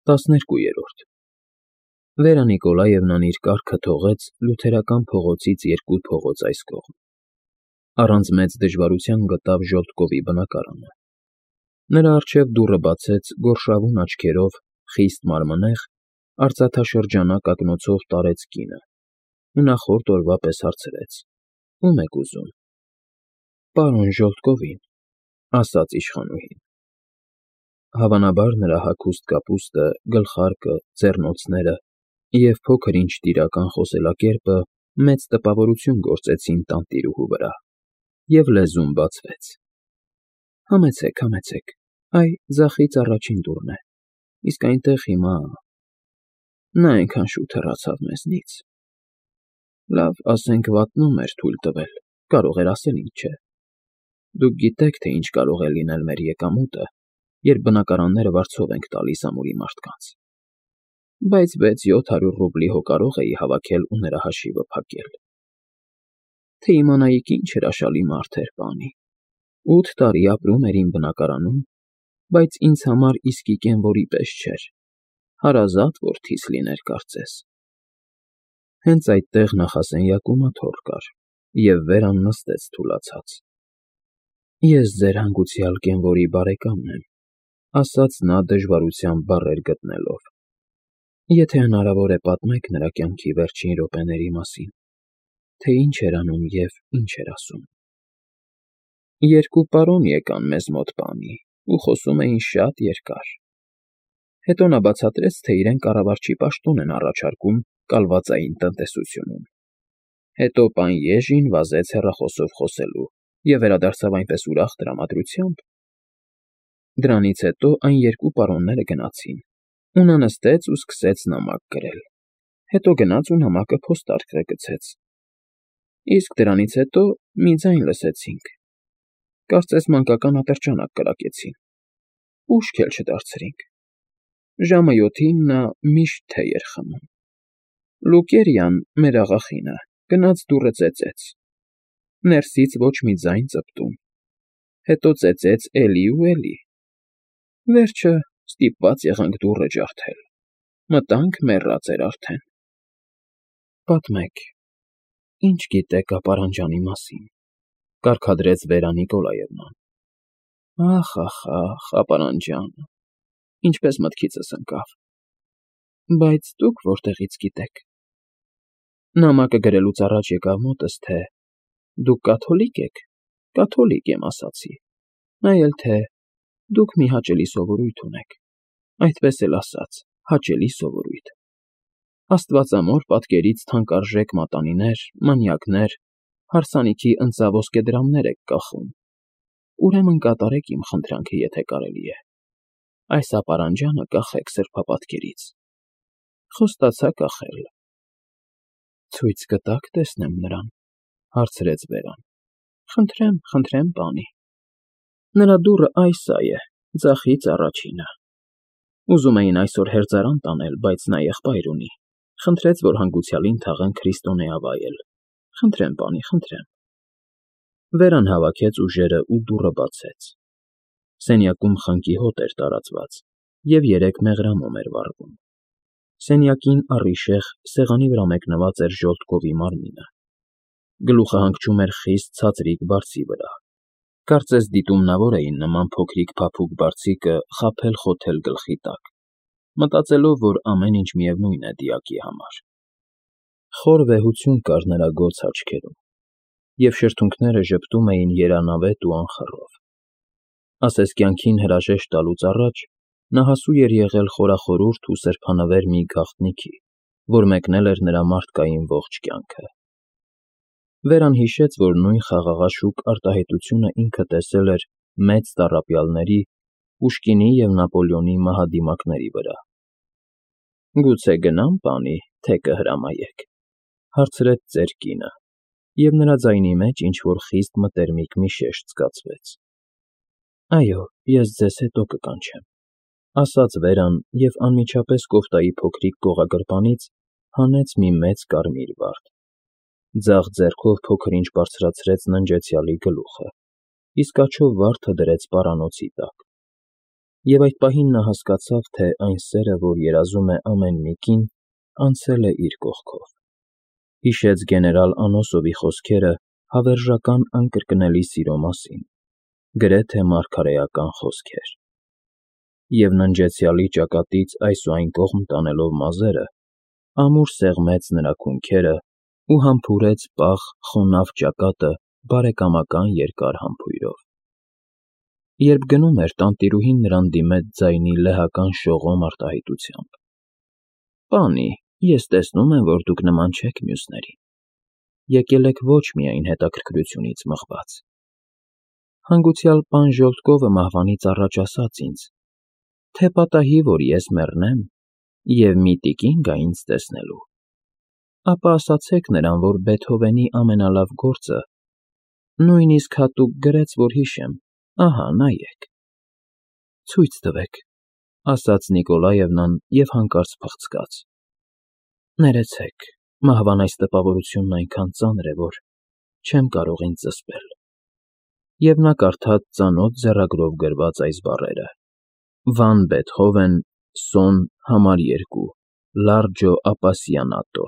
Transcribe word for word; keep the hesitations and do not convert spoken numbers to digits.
տասներկուերորդ Վերա Նիկոլաևնան իր կառքը թողեց Լյութերական փողոցից երկու փողոց այս կողմ, առանց մեծ դժվարության գտավ Ժոլտկովի բնակարանը, նրա առջև դուռը բացեց գորշավուն աչքերով, խիստ մարմնեղ, արծաթաշրջանակ ակնոցով տարեց կինը ու նախորդ օրվա պես հարցրեց. ում եք ուզում։ Պարոն Ժոլտկովին, ասաց իշխանուհին։ Հավանաբար նրա հագուստ կապուստը, գլխարկը, ձեռնոցները և փոքր ինչ տիրական խոսելակերպը մեծ տպավորություն գործեցին տանտիրուհու վրա, և լեզուն բացվեց. Համեցեք, համեցեք, այ ձախից առաջին դուռն է, իսկ այնտեղ հիմա… Նա այնքան շուտ հեռացավ մեզնից… Լավ, ասենք վատնում էր թույլ տվել, կարող էր ասել, ինչ չէ… Դուք գիտեք, թե ինչ կարող է լինել մեր եկամուտը, երբ բնակարանները վարձով ենք տալիս ամուրի մարդկանց… Բայց վեց֊յոթ հարյուր ռուբլի հո կարող էի հավաքել ու նրա հաշիվը փակել… Թե իմանայիք ինչ հրաշալի մարդ էր, պանի… Ութ տարի ապրում էր իմ բնակարանում, բայց ինձ համար իսկի կենվորի պես չէր, հարազատ որդիս լիներ կարծես… Հենց այդտեղ նախասենյակում աթոռ կար, և Վերան նստեց թուլացած… Ես ձեր հանգուցյալ կենվորի բարեկամն եմ, ասաց նա դժվարությամբ բառեր գտնելով… Եթե հնարավոր է, պատմեք նրա կյանքի վերջին րոպեների մասին, թե ինչ էր անում և ինչ էր ասում… Երկու պարոն եկան մեզ մոտ, պանի, ու խոսում էին շատ երկար… Հետո նա բացատրեց, թե իրեն կառավարչի պաշտոն են առաջարկում կալվածային տնտեսությունում… Հետո պան Եժին վազեց հեռախոսով խոսելու և վերադարձավ այնպես ուրախ տրամադրությամբ… Դրանից հետո այն երկու պարոնները գնացին, ու նա նստեց ու սկսեց նամակ գրել, հետո գնաց ու նամակը փոստարկղը գցեց… Իսկ դրանից հետո մի ձայն լսեցինք… Կարծես մանկական ատրճանակ կրակեցին… Ուշք էլ չդարձրինք… Ժամը յոթին նա միշտ թեյ էր խմում… Լուկերյան, մեր աղախինը, գնաց դուռը ծեծեց… Ներսից ոչ մի ձայն ծպտում… Հետո ծեծեց էլի ու էլի… Վերջը ստիպված եղանք դուռը ջարդել… Մտանք, մեռած էր արդեն… Պատմեք, ինչ գիտեք ապարանջանի մասին, կարգադրեց Վերա Նիկոլաևնան… Ախ, ախ, ախ, ապարանջանը… Ինչպես մտքիցս ընկավ… Բայց դուք որտեղից գիտեք… Նամակը գրելուց առաջ եկավ մոտս, թե… Դուք կաթոլիկ եք… Կաթոլիկ եմ, ասացի… Նայել, թե… Դուք մի հաճելի սովորույթ ունեք… Այդպես էլ ասաց, հաճելի սովորույթ… Աստվածամոր պատկերից թանկարժեք մատանիներ, մանյակներ, հարսանիքի ընծաոսկեդրամներ եք կախում… Ուրեմն կատարեք իմ խնդրանքը, եթե կարելի է… Այս ապարանջանը կախեք սրբապատկերից… Խոստացա կախել… Ցույց կտա՞ք տեսնեմ նրան, հարցրեց Վերան… Խնդրեմ, խնդրեմ, պանի… Նրա դուռը այս ա է, ձախից առաջինը… Ուզում էին այսօր հերձարան տանել, բայց նա եղբայր ունի, խնդրեց, որ հանգուցյալին թաղեն քրիստոնեա վայել… Խնդրեմ, պանի, խնդրեմ… Վերան հավաքեց ուժերն ու դուռը բացեց… Սենյակում խնկի հոտ էր տարածված և երեք մեղրամոմ էր վառվում… Սենյակին առիժեղ սեղանի վրա մեկնված էր Ժոլտկովի մարմինը… Գլուխը հանգչում էր խիստ ցածրիկ բարձի վրա… Կարծես դիտումնավոր էին նման փոքրիկ փափուկ բարձիկը խաբել֊խոթել գլխի տակ, մտածելով, որ ամեն ինչ միևնույն է դիակի համար… Խոր վեհություն կար նրա գոց աչքերում, և շրթունքները ժպտում էին երանավետ ու անխռով… Ասես կյանքին հրաժեշտ տալուց առաջ նա հասու էր եղել խորախորուրդ ու սրբանվեր մի գաղտնիքի, որ մեկնել էր նրա մարդկային ողջ կյանքը… Վերան հիշեց, որ նույն խաղաղաշուկ արտահայտությունը ինքը տեսել էր մեծ տառապյալների, Պուշկինի և Նապոլեոնի մահադիմակների վրա… Գուցե գնա՞մ, պանի, թե կհրամայեք, հարցրեց ծեր կինը, և նրա ձայնի մեջ ինչ֊որ խիստ մտերմիկ մի շեշտ զգացվեց… Այո, ես ձեզ հետո կկանչեմ, ասաց Վերան և անմիջապես կոֆտայի փոքրիկ կողագրպանից հանեց մի մեծ կարմիր վարդ… Ձախ ձեռքով փոքր-ինչ բարձրացրեց ննջեցյալի գլուխը, իսկ աջով վարդը դրեց պարանոցի տակ… Եվ այդ պահին նա հասկացավ, թե այն սերը, որ երազում է ամեն մի կին, անցել է իր կողքով. հիշեց գեներալ Անոսովի խոսքերը հավերժական անկրկնելի սիրո մասին, գրեթե մարգարեական խոսքեր, և ննջեցյալի ճակատից այս ու այն կողմ տանելով մազերը, ամուր սեղմեց նրա քունքերը ու համբուրեց պաղ, խոնավ ճակատը բարեկամական երկար համբույրով։ Երբ գնում էր, տանտիրուհին նրան դիմեց ձայնի լեհական շողոմ արտահայտությամբ. «Պանի, ես տեսնում եմ, որ դուք նման չեք մյուսներին, եկել եք ոչ միայն հետաքրքրությունից մղված։ Հանգուցյալ պան Ժոլտկովը մահվանից առաջ ասաց ինձ, թե պատահի, որ ես մեռնեմ, և մի տիկին գա ինձ տեսնելու, ապա ասացեք նրան, որ Բեթհովենի ամենալավ գործը, նույնիսկ հատուկ գրեց, որ հիշեմ, ահա նայեք»։ «Ցույց տվեք», ֊ ասաց Նիկոլաևնան և հանկարծ փղցկաց։ «Ներեցեք, մահվան այս տպավորությունն այնքան ծանր է, որ չեմ կարող ինձ զսպել»։ Եվ նա կարդաց ծանոթ ձեռագրով գրված այս բառերը. «Վան Բեթհովեն, սոն, համար երկու, Լարջո Ապասիանատո»։